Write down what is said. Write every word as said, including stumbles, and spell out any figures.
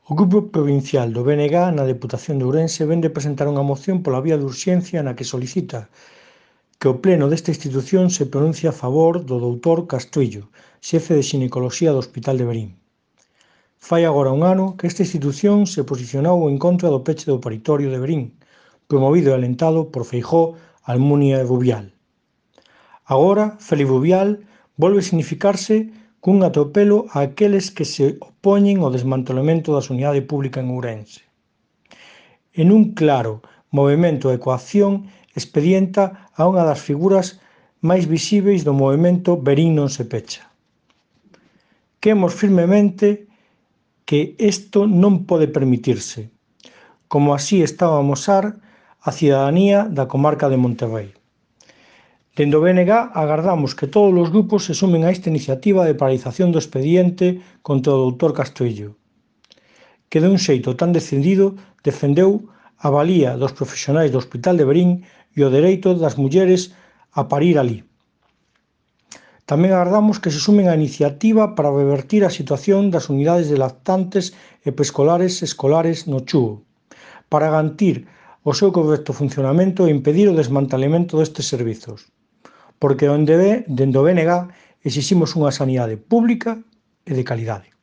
O Grupo Provincial do B N G na Deputación de Ourense vén de presentar unha moción pola vía de urxencia na que solicita que o pleno desta institución se pronuncie a favor do doutor Castrillo, xefe de xinecoloxía do Hospital de Verín. Fai agora un ano que esta institución se posicionou en contra do peche do paritorio de Verín, promovido e alentado por Feijóo, Almunia e Bubial. Agora, Félix Bubial volve significarse cun atropelo a aqueles que se opoñen ao desmantelamento da sanidade pública en Ourense. En un claro movemento de coacción expedienta a unha das figuras máis visíbeis do movemento Verín non se pecha. Cremos firmemente que isto non pode permitirse, como así está a amosar a cidadanía da comarca de Monterrei. Dende o B N G agardamos que todos os grupos se sumen a esta iniciativa de paralización do expediente contra o doutor Castrillo, que de un xeito tan decidido defendeu a valía dos profesionais do Hospital de Verín e o dereito das mulleres a parir alí. Tamén agardamos que se sumen á iniciativa para revertir a situación das unidades de lactantes e preescolares escolares no Chúo, para garantir o seu correcto funcionamento e impedir o desmantelamento destes servizos, porque dende o B N G exiximos unha sanidade pública e de calidade.